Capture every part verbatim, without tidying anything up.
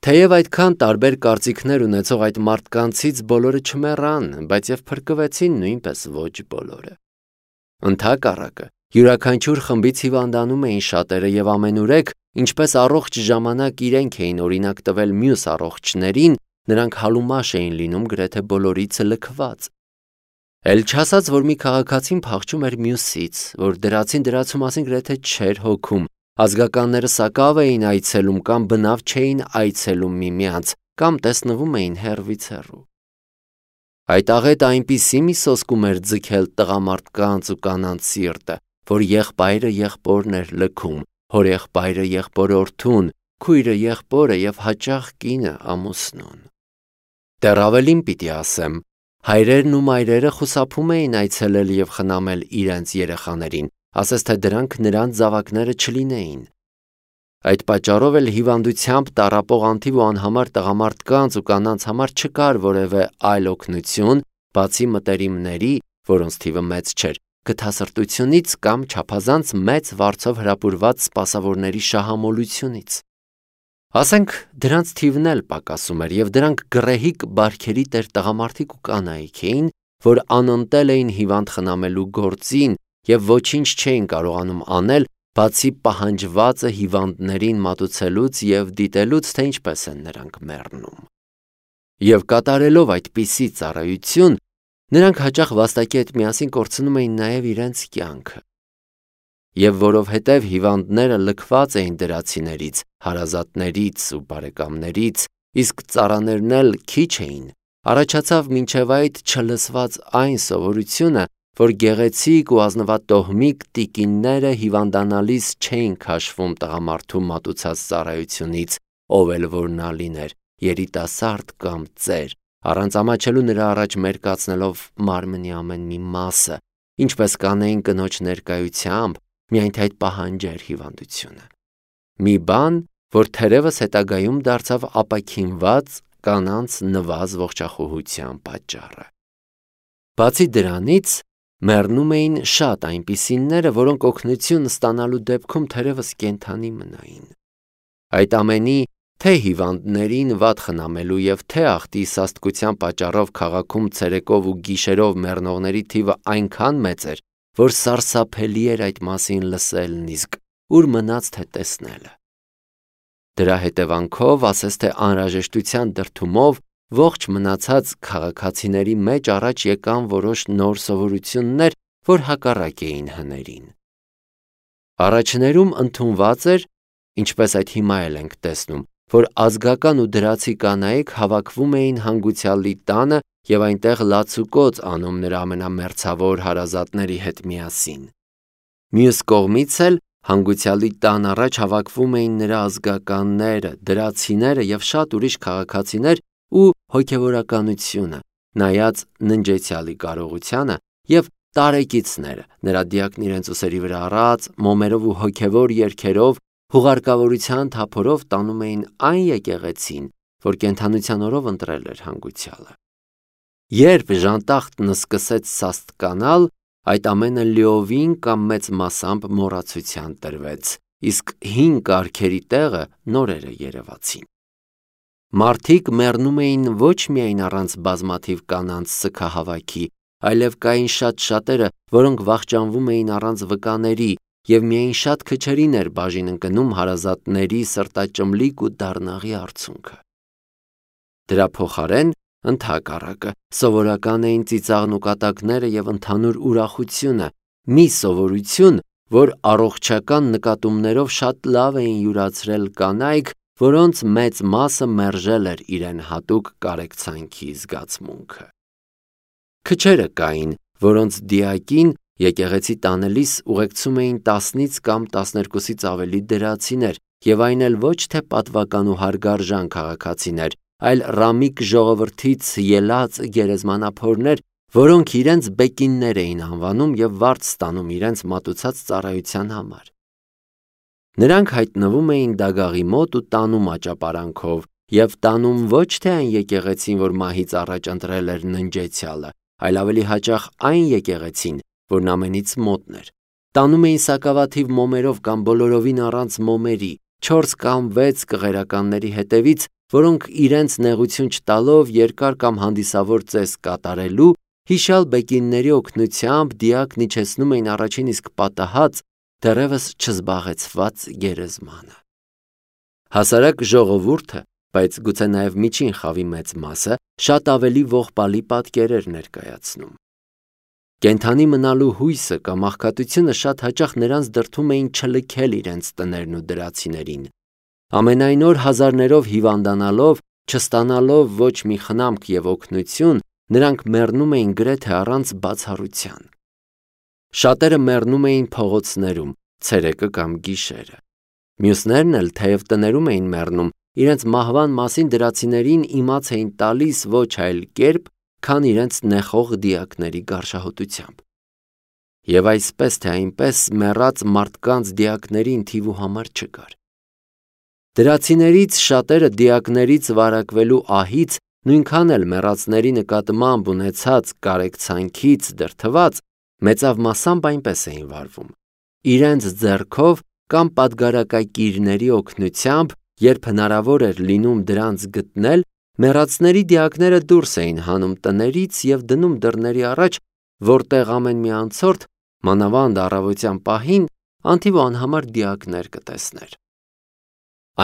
Թեև այդքան տարբեր կարծիքներ ունեցող այդ մարդկանցից բոլորը չմեռան, բայց եւ փրկվեցին նույնպես ոչ բոլորը։ Ընդհակառակը, յուրաքանչյուր խմբից հիվանդանում էին շատերը եւ ամենուրեք, ինչպես առողջ ժամանակ իրենք էին օրինակ տվել մյուս առողջներին, նրանք հալումաշ էին լինում գրեթե բոլորից լքված։ Էլ չասած, որ մի քաղաքացին փախչում էր մյուսից, որ դրացին դրացու մասին գրեթե չէր հոգում, ազգականները սակավ էին այցելում կամ բնավ չէին այցելում միմյանց, կամ տեսնվում էին հեռվից հեռու։ Այդ աղետը այնպիսի մի սոսկում էր ձգել տղամարդկանց ու կանանց սիրտը, որ եղբայրը եղբորն էր լքում, հորեղբայրը եղբորորդուն, քույրը եղբորը եւ հաճախ կինը ամուսնուն։ Դեռ ավելին պիտի ասեմ, հայրերն ու մայրերը խուսափում էին այցելել եւ խնամել իրենց երեխաներին, ասես թե դրանք նրանց զավակները չլինեին։ Այդ պատճառով էլ հիվանդությամբ տառապող անթիվ ու անհամար տղամարդկանց ու կանանց համար չկար որևէ այլ օգնություն, բացի մտերիմների, որոնց թիվը մեծ չէր, գթասրտությունից կամ չափազանց մեծ վարձով հրապուրված սպասավորների շահամոլությունից։ Ասենք դրանց թիվն էլ պակասում էր եւ դրանք գռեհիկ բարքերի տեր տղամարդիկ ու կանայք էին, որ անընդել էին հիվանդ խնամելու գործին եւ ոչինչ չէին կարողանում անել, բացի պահանջվածը հիվանդներին մատուցելուց եւ դիտելուց, թե ինչպես են նրանք մեռնում։ Եվ կատարելով այդպիսի ծառայություն, նրանք հաճախ վաստակի հետ միասին կորցնում էին նաեւ իրենց կյանքը։ Եվ որովհետև հիվանդները լքված էին դրացիներից, հարազատներից ու բարեկամներից, իսկ ծառաներն էլ քիչ էին, առաջացավ մինչև այդ չլսված այն սովորությունը, որ գեղեցիկ ու ազնվատոհմիկ տիկինները հիվանդանալիս չէին քաշվում տղամարդու մատուցած ծառայությունից, ով էլ որ նա լիներ, երիտասարդ կամ ծեր, առանց ամաչելու նրա առաջ մերկացնելով մարմնի ամեն մի մասը, ինչպես կանեին կնոջ ներկայությամբ, միայն թե այդ պահանջեր հիվանդությունը։ Մի բան, որ թերևս հետագայում դարձավ ապաքինված կանանց նվազ ողջախոհության պատճառը։ Բացի դրանից, մեռնում էին շատ այնպիսիները, որոնք օգնություն ստանալու դեպքում թերևս կենդանի մնային։ Այդ ամենի թե հիվանդներին վատ խնամելու եւ թե ախտի սաստկության պատճառով քաղաքում ցերեկով ու գիշերով մեռնողների թիվը այնքան մեծ էր, որ սարսափելի էր այդ մասին լսելն, իսկ ուր մնաց թե տեսնելը։ Դրա հետևանքով, ասես թե անհրաժեշտության դրդումով, ողջ մնացած քաղաքացիների մեջ առաջ եկան որոշ նոր սովորություններ, որ հակառակ էին հներին։ Առաջներում ընդունված էր, ինչպես այդ հիմա էլ ենք տեսնում, որ ազգական ու դրացի կանայք հավաքվում էին հանգուցյալի տանը եւ այնտեղ լացուկոծ անում նրա ամենամերձավոր հարազատների հետ միասին։ Մյուս կողմից էլ հանգուցյալի տան առաջ հավաքվում էին նրա ազգականները, դրացիները եւ շատ ուրիշ քաղաքացիներ ու հոգեվորականությունը, նայած ննջեցյալի կարողությանը եւ տարեկիցները, նրա դիակն իրենց ուսերի վրա առած, մոմերով ու հոգեվոր երգերով, հուղարկավորության թափորով տանում էին այն եկեղեցին, որ կենդանության օրով ընտրել էր հանգուցյալը։ Երբ ժանտախտն սկսեց սաստկանալ, այդ ամենը լիովին կամ մեծ մասամբ մոռացության տրվեց, իսկ հին կարգերի տեղը նորերը երևացին։ Մարդիկ մեռնում էին ոչ միայն առանց բազմաթիվ կանանց սգահավաքի, այլև կային շատ շատերը, որոնք վախճանվում էին առանց վկաների, եւ միայն շատ քչերին էր բաժին ընկնում հարազատների սրտաճմլիկ ու դառնաղի արցունքը։ Դրա փոխարեն, ընդհակառակը, սովորական էին ծիծաղն ու կատակները եւ ընդհանուր ուրախությունը, մի սովորություն, որ առողջական նկատումներով շատ լավ էին յուրացրել կանայք, որոնց մեծ մասը մերժել էր իրեն հատուկ կարեկցանքի զգացմունքը։ Քչերը կային, որոնց դիակին եկեղեցի տանելիս ուղեկցում էին տասնից կամ տասներկուսից ավելի դրացիներ, եւ այն էլ ոչ թե պատվական ու հարգարժան քաղաքացիներ, այլ ռամիկ ժողովրդից ելած գերեզմանափորներ, որոնք իրենց բեկիններ էին անվանում եւ վարձ ստանում իրենց մատուցած ծառայության համար։ Նրանք հայտնվում էին դագաղի մոտ ու տանում աճապարանքով եւ տանում ոչ թե այն եկեղեցին, որ մահից առաջ ընտրել էր ննջեցյալը, այլ ավելի հաճախ այն եկեղեցին, որն ամենից մոտն էր։ Տանում էին սակավաթիվ մոմերով կամ բոլորովին առանց մոմերի, չորս կամ վեց կղերականների հետևից, որոնք իրենց նեղություն չտալով երկար կամ հանդիսավոր ծես կատարելու, հիշյալ բեկինների օգնությամբ դիակն իջեցնում էին առաջին իսկ պատահած, դեռևս չզբաղեցված գերեզմանը։ Հասարակ ժողովուրդը, բայց գուցե նաև միջին խավի մեծ մասը, շատ ավելի ողբալի պատկերեր ներկայացնում։ Կենդանի մնալու հույսը կամ աղքատությունը շատ հաճախ նրանց դրդում էին չլքել իրենց տներն ու դրացիներին։ Ամենայն օր հազարներով հիվանդանալով, չստանալով ոչ մի խնամք և օգնություն, նրանք մեռնում էին գրեթե առանց բացառության։ Շատերը մեռնում էին փողոցներում, ցերեկը կամ գիշերը։ Մյուսներն էլ, թեև տներում էին մեռնում, իրենց մահվան մասին դրացիներին իմաց էին տալիս ոչ այլ կերպ, քան իրենց նեխող դիակների գարշահոտությամբ։ Եվ այսպես թե այնպես մեռած մարդկանց դիակներին թիվ ու համար չկար։ Դրացիներից շատերը դիակներից վարակվելու ահից նույնքան էլ մեռածների նկատմամբ ունեցած կարեկցանքից դրդված մեծավ մասամբ այնպես էին վարվում. իրենց ձեռքով կամ պատգարակակիրների օգնությամբ, երբ հնարավոր էր լինում դրանց գտնել, մեռածների դիակները դուրս էին հանում տներից և դնում դռների առաջ, որտեղ ամեն մի անցորդ, մանավանդ առավոտյան պահին, անթիվ ու անհամար դիակներ կտեսներ։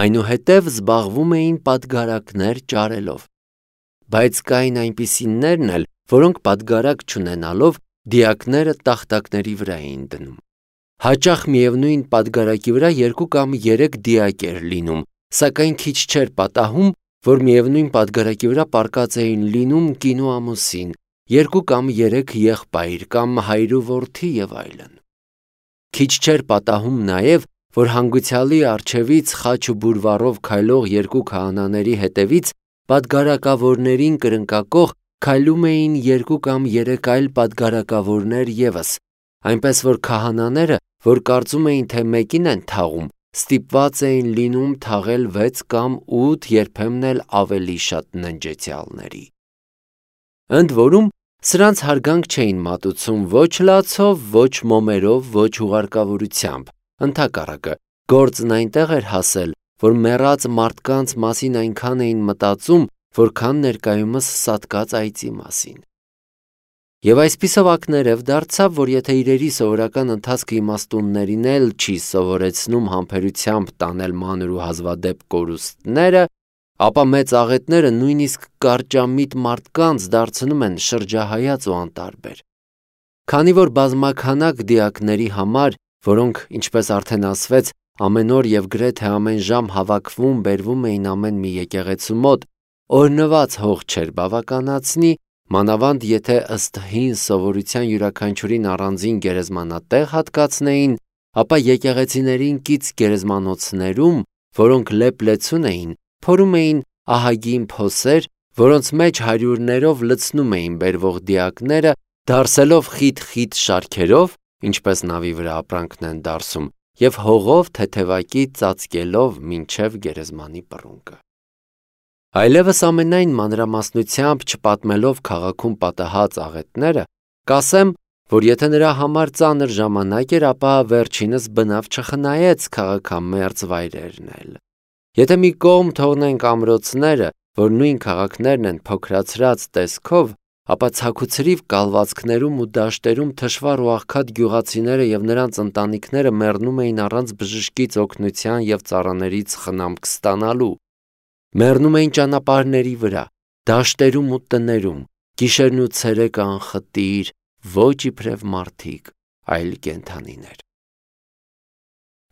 Այնուհետև զբաղվում էին պատգարակներ ճարելով։ Բայց կային այնպիսիներն էլ, որոնք պատգարակ չունենալով դիակները տախտակների վրա էին դնում։ Հաճախ միևնույն պատգարակի վրա երկու կամ երեք դիակ էր լինում, սակայն քիչ չէր պատահում, որ միևնույն պատգարակի վրա պառկած էին լինում կին ու ամուսին, երկու կամ երեք եղբայր կամ հայր ու որդի և այլն։ Քիչ չէր պատահում նաև, որ հանգուցյալի առջևից խաչ ու բուրվառով քայլող երկու քահանաների հետևից պատգարակավորներին կրնկակող քայլում էին երկու կամ երեք այլ պատգարակավորներ ևս, այնպես որ քահանաները, որ կարծում էին, թե մեկին են թաղում, ստիպված էին լինում թաղել վեց կամ ութ, երբեմն էլ ավելի շատ ննջեցյալների։ Ընդ որում, սրանց հարգանք չէին մատուցում ոչ լացով, ոչ մոմերով, ոչ հուղարկավորությամբ, ընդհակառակը, գործն այնտեղ էր հասել, որ մեռած մարդկանց մասին այնքան էին մտածում, որքան ներկայումս սատկած այծի մասին։ Եվ այսպիսով ակներև դարձավ, որ եթե իրերի սովորական ընթացքը իմաստուններին էլ չի սովորեցնում համբերությամբ տանել մանր ու հազվադեպ կորուստները, ապա մեծ աղետները նույնիսկ կարճամիտ մարդկանց դարձնում են շրջահայաց ու անտարբեր։ Քանի որ բազմաքանակ դիակների համար, որոնք, ինչպես արդեն ասվեց, ամեն օր և գրեթե ամեն ժամ հավաքվում բերվում էին ամեն մի եկեղեցու մոտ, օրհնված հող չէր բավականացնի, մանավանդ եթե ըստ հին սովորության յուրաքանչյուրին առանձին գերեզմանատեղ հատկացնեին, ապա եկեղեցիներին կից գերեզմանոցներում, որոնք լեփ-լեցուն էին, փորում էին ահագին փոսեր, որոնց մեջ հարյուրներով լցնում էին բերվող դիակները, դարսելով խիտ-խիտ շարքերով, ինչպես նավի վրա ապրանքն են դարսում, և հողով թեթևակի ծածկելով մինչև գերեզմանի պռունգը։ Այլևս ամենայն մանրամասնությամբ չպատմելով քաղաքում պատահած աղետները, կասեմ, որ եթե նրա համար ծանր ժամանակ էր, ապա վերջինս բնավ չխնայեց քաղաքամերձ վայրերն էլ։ Եթե մի կողմ թողնենք ամրոցները, որ նույն քաղաքներն են փոքրացրած տեսքով, ապա ցաքուցրիվ կալվածքներում ու դաշտերում թշվառ ու աղքատ գյուղացիները և նրանց ընտանիքները մեռնում էին առանց բժշկից օգնության և ծառաներից խնամք ստանալու։ Մեռնում էին ճանապարհների վրա, դաշտերում ու տներում, գիշերն ու ցերեկը անխտիր, ոչ իբրև մարդիկ, այլ կենդանիներ։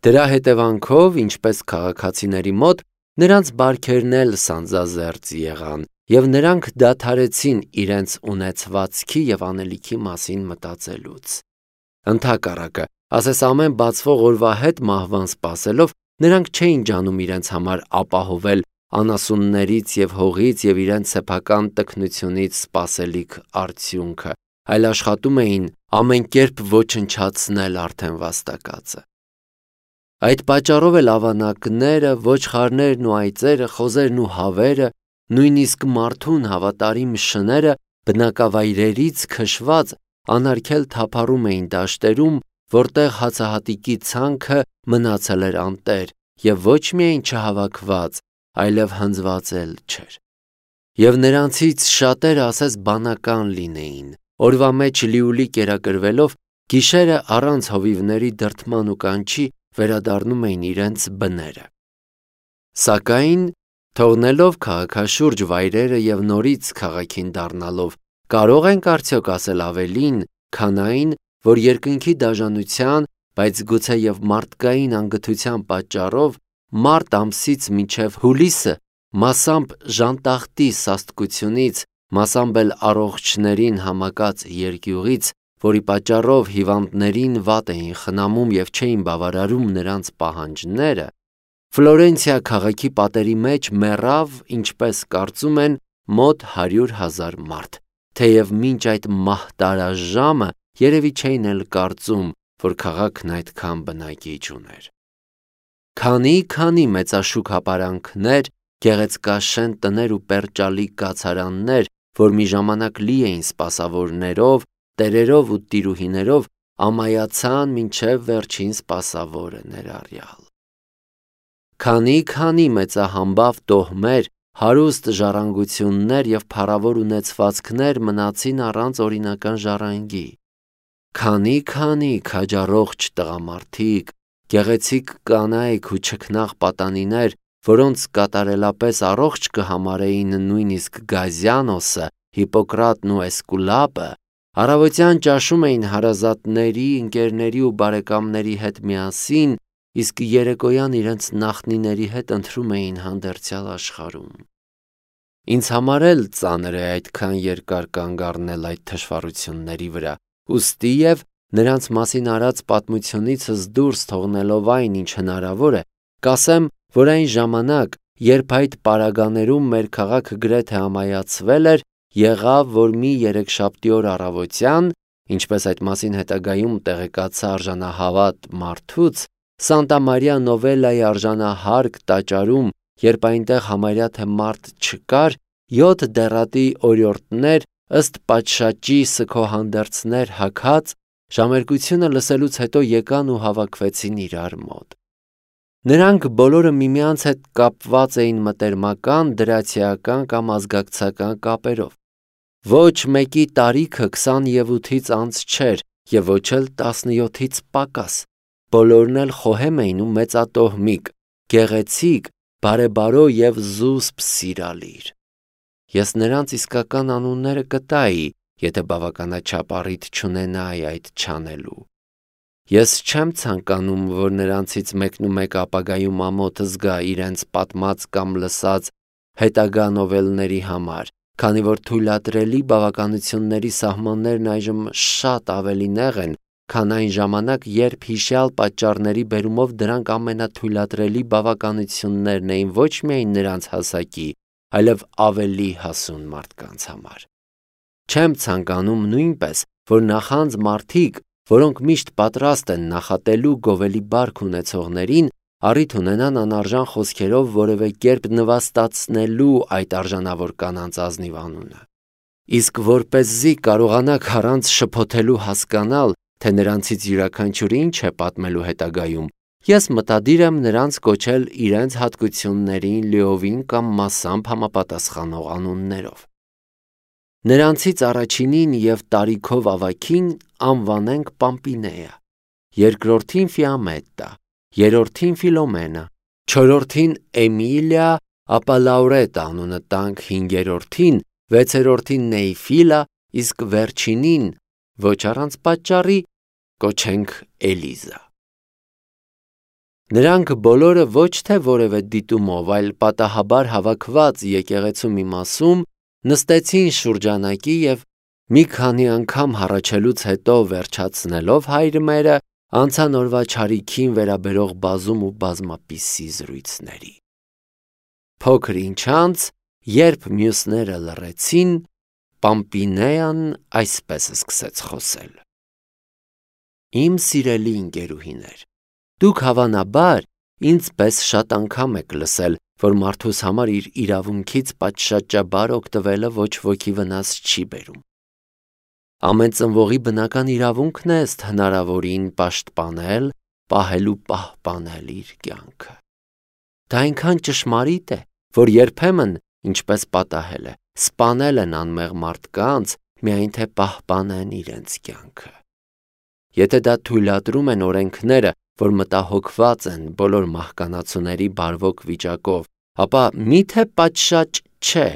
Դրա հետևանքով, ինչպես քաղաքացիների մոտ, նրանց բարքերն էլ սանձազերծ եղան, և նրանք դադարեցին իրենց ունեցվածքի և անելիքի մասին մտածելուց։ Ընդհակառակը, ասես ամեն բացվող օրվա հետ մահվան սպասելով, նրանք չէին ջանում իրենց համար ապահովել անասուններից և հողից և իրենց սեփական տքնությունից սպասելիք արդյունքը, այլ աշխատում էին ամեն կերպ ոչնչացնել արդեն վաստակածը։ Այդ պատճառով էլ ավանակները, ոչխարներն ու այծերը, խոզերն ու հավերը, նույնիսկ մարդուն հավատարիմ շները բնակավայրերից քշված անարգել թափառում էին դաշտերում, որտեղ հացահատիկի ցանքը մնացել էր անտեր, և ոչ միայն չհավաքված, այլև հնձված էլ չէր։ Եվ նրանցից շատերը ասես բանական լինեին, օրվա մեջ լիուլի կերակրվելով, գիշերը առանց հովիվների դրդման ու կանչի վերադառնում էին իրենց բները։ Սակայն, թողնելով քաղաքաշուրջ վայրերը և նորից քաղաքին դառնալով, կարող ենք արդյոք ասել ավելին, քան այն, որ երկնքի դաժանության, բայց գուցե և մարդկային անգթության պատճառով մարտ ամսից մինչև հուլիսը մասամբ ժանտախտի սաստկությունից, մասամբ էլ առողջներին համակած երկյուղից, որի պատճառով հիվանդներին վատ էին խնամում և չէին բավարարում նրանց պահանջները, Ֆլորենցիա քաղաքի պատերի մեջ մեռավ, ինչպես կարծում են, մոտ հարյուր հազար մարդ, թեև մինչ այդ մահտարաժամը երևի չէին էլ կարծում, որ քաղաքն այդքան բնակիչ ուներ։ Քանի-քանի մեծաշուք հապարանքներ, գեղեցկաշեն տներ ու պերճալիկ կացարաններ, որ մի ժամանակ լի էին սպասավորներով, տերերով ու տիրուհիներով, ամայացան մինչև վերջին սպասավորը ներառյալ։ Քանի-քանի մեծահամբավ տոհմեր, հարուստ ժառանգություններ և փառավոր ունեցվածքներ մնացին առանց օրինական ժառանգի։ Քանի-քանի քաջառողջ տղամարդիկ, գեղեցիկ կանայք ու չքնաղ պատանիներ, որոնց կատարելապես առողջ կհամարեին նույնիսկ Գազյանոսը, Հիպոկրատն ու Էսկուլապը, առավոտյան ճաշում էին հարազատների, ընկերների ու բարեկամների հետ միասին, իսկ երեկոյան իրենց նախնիների հետ ընթրում էին հանդերձյալ աշխարհում։ Ինձ համար էլ ծանր է այդքան երկար կանգ առնել այդ թշվառությունների վրա, ուստի և նրանց մասին արած պատմությունիցս դուրս թողնելով այն, ինչ հնարավոր է, կասեմ, որ այն ժամանակ, երբ այդ պարագաներում մեր քաղաքը գրեթե ամայացվել էր, եղավ, որ մի երեքշաբթի օր առավոտյան, ինչպես այդ մասին հետագայում տեղեկացա արժանահավատ մարդուց, Սանտա Մարիա Նովելայի արժանահարկ տաճարում, երբ այնտեղ համարյա թե մարդ չկար, յոթ դեռատի օրիորդներ, ըստ պատշաճի սգոհանդերձներ հագած, ժամերկությունը լսելուց հետո եկան ու հավաքվեցին իրար մոտ։ Նրանք բոլորը միմյանց հետ կապված էին մտերմական, դրացիական կամ ազգակցական կապերով։ Ոչ մեկի տարիքը քսանութից անց չէր և ոչ էլ տասնյոթից պակաս։ Բոլորն էլ խոհեմ էին ու մեծատոհմիկ, գեղեցիկ, բարեբարո և զուսպ սիրալիր։ Ես նրանց իսկական անունները կտայի, եթե բավականաչափ առիթ չունենայի այդ չանելու։ Ես չեմ ցանկանում, որ նրանցից մեկնումեկը ապագայում ամոթ զգա իրենց պատմած կամ լսած հետագա նովելների համար, քանի որ թույլատրելի բավականությունների սահմաններն այժմ շատ ավելի նեղ են, քան այն ժամանակ, երբ հիշյալ պատճառների բերումով դրանք ամենաթույլատրելի բավականություններն էին ոչ միայն նրանց հասակի, այլև ավելի հասուն մարդկանց համար։ Չեմ ցանկանում նույնպես, որ նախանձ մարդիկ, որոնք միշտ պատրաստ են նախատելու գովելի բարք ունեցողներին, առիթ ունենան անարժան խոսքերով որևէ կերպ նվաստացնելու այդ արժանավոր կանանց ազնիվ անունը։ Իսկ որպեսզի կարողանաք առանց շփոթելու հասկանալ, թե նրանցից յուրաքանչյուրը ինչ է պատմելու հետագայում, ես մտադիր եմ նրանց կոչել իրենց հատկություններին լիովին կամ մասամբ համապատասխանող անուններով։ Նրանցից առաջինին և տարիքով ավագին անվանենք Պամպինեա, երկրորդին Ֆիամետտա, երրորդին Ֆիլոմենա, չորրորդին Էմիլիա, ապա Լաուրետա անունը տանք հինգերորդին, վեցերորդին Նեյֆիլա, իսկ վերջինին, ոչ առանց պատճառի, կոչենք Էլիզա։ Նրանք բոլորը ոչ թե որևէ դիտումով, այլ պատահաբար հավաքված եկեղեցու մի մասում, նստեցին շուրջանակի և մի քանի անգամ հառաչելուց հետո վերջացնելով հայրմերը, անցան օրվա չարիքին վերաբերող բազում ու բազմապիսի զրույցների։ Փոքր ինչ անց, երբ մյուսները լռեցին, Պամպինեան այսպես սկսեց խոսել. Իմ սիրելի ընկերուհիներ, դուք հավանաբար ինձ պես շատ անգամ եք լսել, որ մարդուս համար իր իրավունքից պատշաճաբար օգտվելը ոչ ոքի վնաս չի բերում։ Ամեն ծնվողի բնական իրավունքն է ըստ հնարավորին պաշտպանել, պահել ու պահպանել իր կյանքը։ Դա այնքան ճշմարիտ է, որ երբեմն, ինչպես պատահել է, սպանել են անմեղ մարդկանց, միայն թե պահպանեն իրենց կյանքը։ Եթե դա թույլատրում են օրենքները, որ մտահոգված են բոլոր մահկանացուների բարվոք վիճակով, ապա միթե պատշաճ չէ,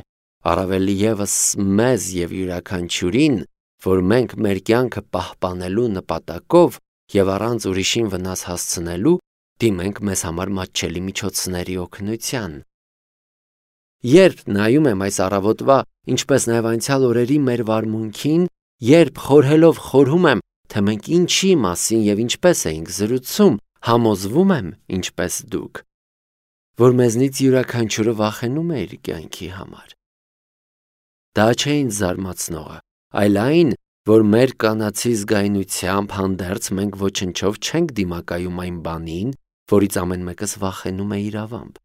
առավել ևս մեզ և յուրաքանչյուրին, որ մենք մեր կյանքը պահպանելու նպատակով և առանց ուրիշին վնաս հասցնելու դիմենք մեզ համար մատչելի միջոցների օգնության։ Երբ նայում եմ այս առավոտվա, ինչպես նաև անցյալ օրերի մեր վարմունքին, երբ խորհելով խորհում եմ, թե մենք ինչի մասին և ինչպես էինք զրուցում, համոզվում եմ, ինչպես դուք, որ մեզնից յուրաքանչյուրը վախենում է իր կյանքի համար։ Դա չէ ինձ զարմացնողը, այլ այն, որ մեր կանացի զգայունությամբ հանդերձ մենք ոչնչով չենք դիմակայում այն բանին, որից ամեն մեկս վախենում է իրավամբ։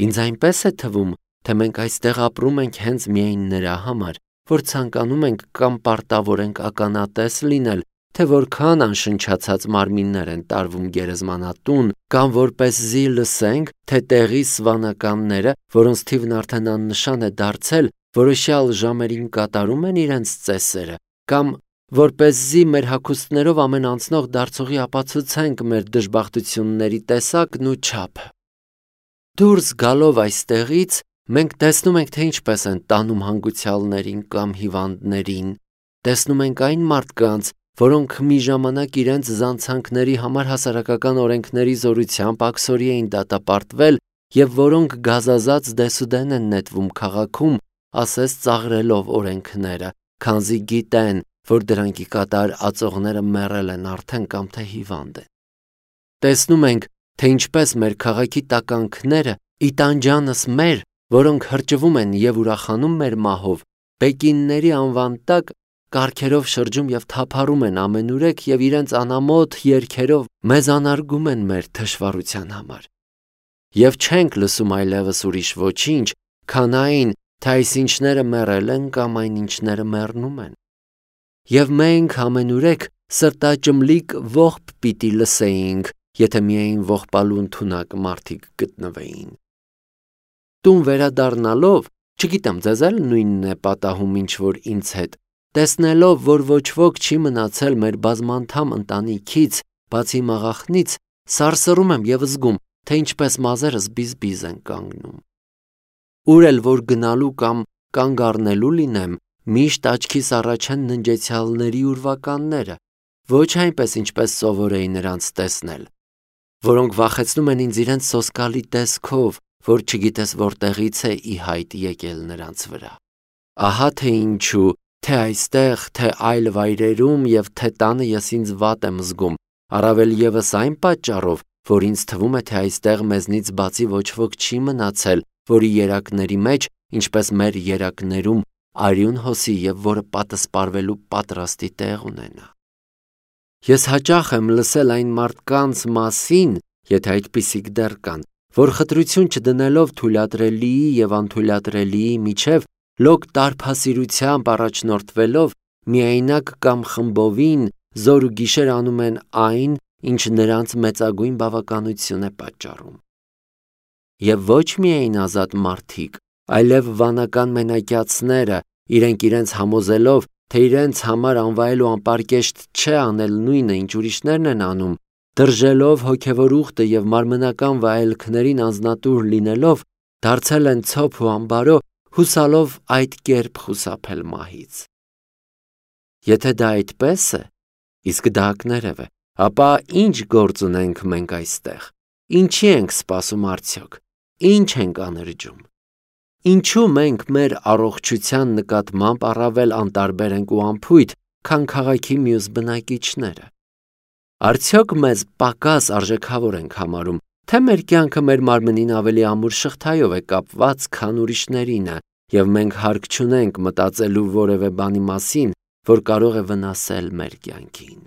Ինձ այնպես է թվում, թե մենք այստեղ ապրում ենք հենց միայն նրա համար, որ ցանկանում ենք կամ պարտավոր ենք ականատես լինել, թե որքան անշնչացած մարմիններ են տարվում գերեզմանատուն, կամ որպեսզի լսենք, թե տեղի սվանականները, որոնց թիվն արդեն աննշան է դարձել, որոշյալ ժամերին կատարում են իրենց ծեսերը, կամ որպեսզի մեր հագուստներով ամեն անցնող դարձողի ապացուցենք մեր դժբախտությունների տեսակն ու չափը։ Դուրս գալով այստեղից, մենք տեսնում ենք, թե ինչպես են տանում հանգուցյալներին կամ հիվանդներին, տեսնում ենք այն մարդկանց, որոնք մի ժամանակ իրենց զանցանքների համար հասարակական օրենքների զորությամբ աքսորի էին դատապարտվել և որոնք գազազած դեսուդեն են նետվում քաղաքում, ասես ծաղրելով օրենքները, քանզի գիտեն, որ դրանք ի կատար ածողները մեռել են արդեն կամ թե հիվանդ են։ Տեսնում ենք, թե ինչպես մեր քաղաքի տականքները ի տանջանս մեր, որոնք հրճվում են և ուրախանում մեր մահով, բեկինների անվան տակ կառքերով շրջում և թափառում են ամենուրեք և իրենց անամոթ երգերով մեզ անարգում են մեր թշվառության համար։ Եվ չենք լսում այլևս ուրիշ ոչինչ, քան այն, թե այսինչները մեռել են կամ այնինչները մեռնում են։ Եվ մենք ամենուրեք սրտաճմլիկ ողբ պիտի լսեինք, եթե միայն ողբալու ընդունակ մարդիկ գտնվեին։ Տուն վերադառնալով, չգիտեմ ձեզ էլ նույնն է պատահում ինչ որ ինձ հետ, տեսնելով, որ ոչ ոք չի մնացել մեր բազմանդամ ընտանիքից, բացի իմ աղախնից, սարսռում եմ և զգում, թե ինչպես մազերս բիզբիզ են կանգնում։ Ուր էլ որ գնալու կամ կանգ առնելու լինեմ, միշտ աչքիս առաջ են ննջեցյալների ուրվականները, ոչ այնպես ինչպես սովոր էի նրանց տեսնել, որոնք վախեցնում են ինձ իրենց սոսկալի տեսքով, որ չգիտես որտեղից է ի հայտ եկել նրանց վրա։ Ահա թե ինչու, թե այստեղ, թե այլ վայրերում և թե տանը ես ինձ վատ եմ զգում, առավել ևս այն պատճառով, որ ինձ թվում է, թե այստեղ մեզնից բացի ոչ ոք չի մնացել, որի երակների մեջ, ինչպես մեր երակներում, արյուն հոսի և որը պատսպարվելու պատրաստի տեղ ունենա։ Ես հաճախ եմ լսել այն մարդկանց մասին, եթե այդպիսիք դեռ կան, որ խտրություն չդնելով թույլատրելիի և անթույլատրելիի միջև, լոկ տարփասիրությամբ առաջնորդվելով, միայնակ կամ խմբովին զոր ու գիշեր անում են այն, ինչ նրանց մեծագույն բավականություն է պատճառում։ Եվ ոչ միայն ազատ մարդիկ, այլև վանական մենակյացները, իրենք իրենց համոզելով, թե իրենց համար անվայել ու անպարկեշտ չէ անել նույնը, ինչ ուրիշներն են անում, դրժելով հոգևոր ուխտը և մարմնական վայելքներին անձնատուր լինելով, դարձել են ցոփ ու անբարո, հուսալով այդ կերպ խուսափել մահից։ Եթե դա այդպես է, իսկ դա ակներև է, ապա ինչ գործ ունենք մենք այստեղ, ինչի ենք սպասում արդյոք, ինչ ենք անրջում։ Ինչու մենք մեր առողջության նկատմամբ առավել անտարբեր ենք ու անփույթ, քան քաղաքի մյուս բնակիչները։ Արդյոք մեզ պակաս արժեքավոր ենք համարում, թե մեր կյանքը մեր մարմնին ավելի ամուր շղթայով է կապված, քան ուրիշներինը, և մենք հարկ չունենք մտածելու որևէ բանի մասին, որ կարող է վնասել մեր կյանքին։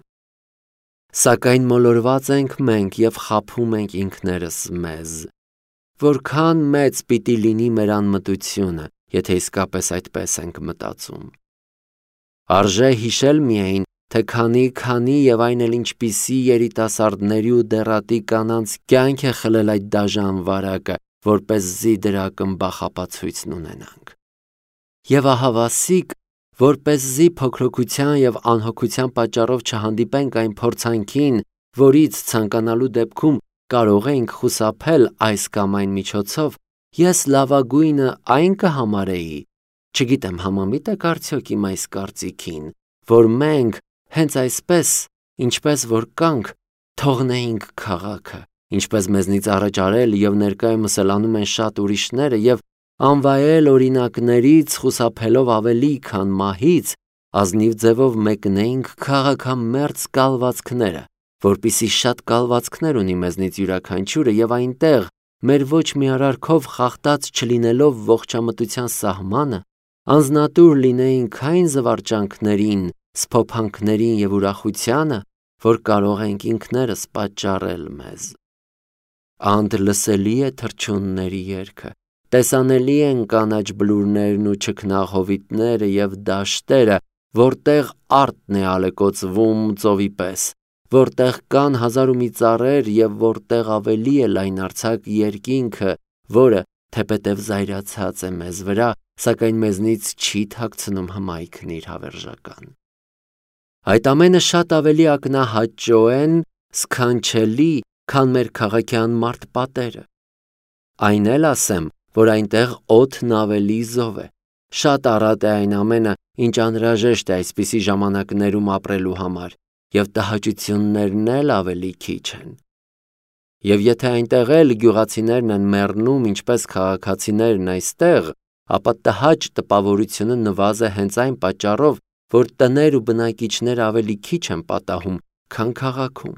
Սակայն մոլորված ենք մենք և խաբում ենք ինքներս մեզ։ Որքան մեծ պիտի լինի մեր անմտությունը, եթե իսկապես այդպես ենք մտածում։ Արժե հիշել միայն, թե քանի-քանի եւ այն էլ ինչպիսի երիտասարդների ու դեռատի կանանց կյանք է խլել այդ դաժան վարակը, որպեսզի դրա կմբախապացույցն ունենանք։ Եվ ահավասիկ, որպեսզի փոքրοκության եւ անհոգության պատճառով չհանդիպենք այն փորձանքին, որից ցանկանալու դեպքում կարող ենք խուսափել այս կամ այն միջոցով, ես լավագույնը այն կհամարեի, չգիտեմ համամիտ եք արդյոք իմ այս կարծիքին, որ մենք հենց այսպես, ինչպես որ կանք, թողնեինք քաղաքը, ինչպես մեզնից առաջ արել եւ ներկայումս էլ անում են շատ ուրիշները եւ անվայել օրինակներից խուսափելով ավելի քան մահից, ազնիվ ձևով մեկնեինք քաղաքամերձ կալվածքները, որպիսի շատ կալվածքներ ունի մեզնից յուրաքանչյուրը եւ այնտեղ մեր ոչ մի արարքով խախտած չլինելով ողջամտության սահմանը, անznատուր լինեինք այն զվարճանքներին, սփոփանքներին եւ ուրախությանը, որ կարող ենք ինքներս պատճառել մեզ։ Անդ լսելի է թռչունների երգը, տեսանելի են կանաչ բլուրներն ու չքնաղ եւ դաշտերը, որտեղ արտն է ալեկոծվում ծովի պես, որտեղ կան հազար ու մի ծառեր եւ որտեղ ավելի է լայնարձակ երկինքը, որը թեպետև զայրացած է մեզ վրա, սակայն մեզնից չի թաքցնում հմայքն իր հավերժական։ Այդ ամենը շատ ավելի ակնահաճոեն սքանչելի, քան մեր քաղաքի անմարդ պատերը։ Այն էլ ասեմ, որ այնտեղ օդն ավելի զով է, շատ առատ է այն ամենը, ինչ անհրաժեշտ է այսպիսի ժամանակներում ապրելու համար, եւ տհաճություններն էլ ավելի քիչ են։ Եվ եթե այնտեղ էլ գյուղացիներն են մեռնում, ինչպես քաղաքացիներն այստեղ, ապա տհաճ տպավորությունը նվազ է հենց այն պատճառով, որ տներ ու բնակիչներ ավելի քիչ են պատահում, քան քաղաքում։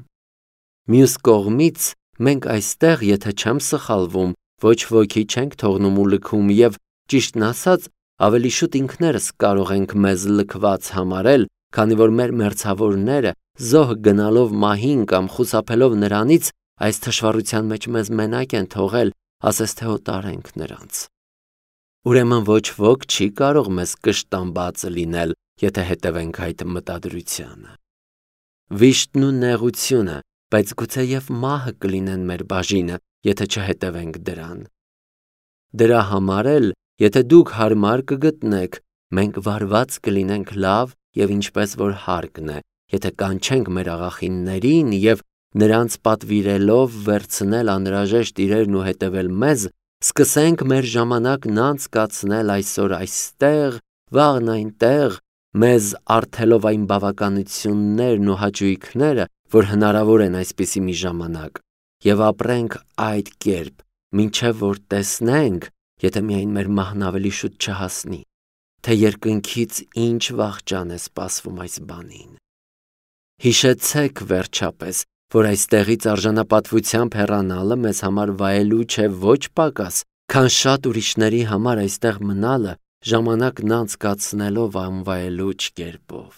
Մյուս կողմից, մենք այստեղ, եթե չեմ սխալվում, ոչ ոքի չենք թողնում ու լքում եւ, ճիշտն ասած, ավելի շուտ ինքներս կարող ենք մեզ լքված համարել, քանի որ մեր մերձավորները զոհ գնալով մահին կամ խուսափելով նրանից, այս թշվառության մեջ մեզ մենակ են թողել, ասես թե օտար ենք նրանց։ Ուրեմն ոչ ոք չի կարող մեզ կշտամբած լինել, եթե հետևենք այդ մտադրությանը։ Վիշտն ու նեղությունը, բայց գուցե եւ մահը կլինեն մեր բաժինը, եթե չհետևենք դրան։ Դրա համար էլ, եթե դուք հարմար կգտնեք, մենք վարված կլինենք լավ եւ ինչպես որ հարկն է, եթե կանչենք մեր աղախիններին եւ նրանց պատվիրելով վերցնել անհրաժեշտ իրերն ու հետևել մեզ, սկսենք մեր ժամանակն անցկացնել այսօր այստեղ, վաղն այնտեղ, մեզ առթելով այն բավականություններն ու հաճույքները, որ հնարավոր են այսպիսի մի ժամանակ, եւ ապրենք այդ կերպ, մինչև որ տեսնենք, եթե միայն մեր մահն ավելի շուտ չհասնի, թե երկնքից ինչ վախճան է սպասվում այս բանին։ Հիշեցեք վերջապես, որ այստեղից արժանապատվությամբ հեռանալը մեզ համար վայելու չէ ոչ պակաս, քան շատ ուրիշների համար այստեղ մնալը ժամանակն անցկացնելով անվայելուչ կերպով։